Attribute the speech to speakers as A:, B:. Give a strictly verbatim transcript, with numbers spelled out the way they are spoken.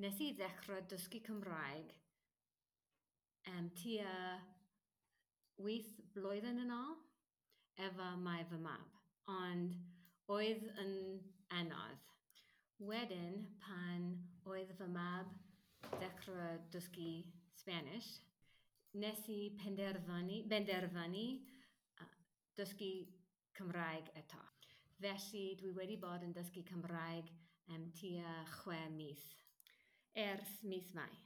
A: Nes i ddechrau dysgu Cymraeg um, tua wyth blwyddyn yn ôl efo mae fy mab, ond oedd yn anodd. Wedyn, pan oedd fy mab ddechrau dysgu Spanish, nes i penderfynu, benderfynu uh, dysgu Cymraeg eto. Felly dwi wedi bod yn dysgu Cymraeg am tua chwe mis, ers mis Mai.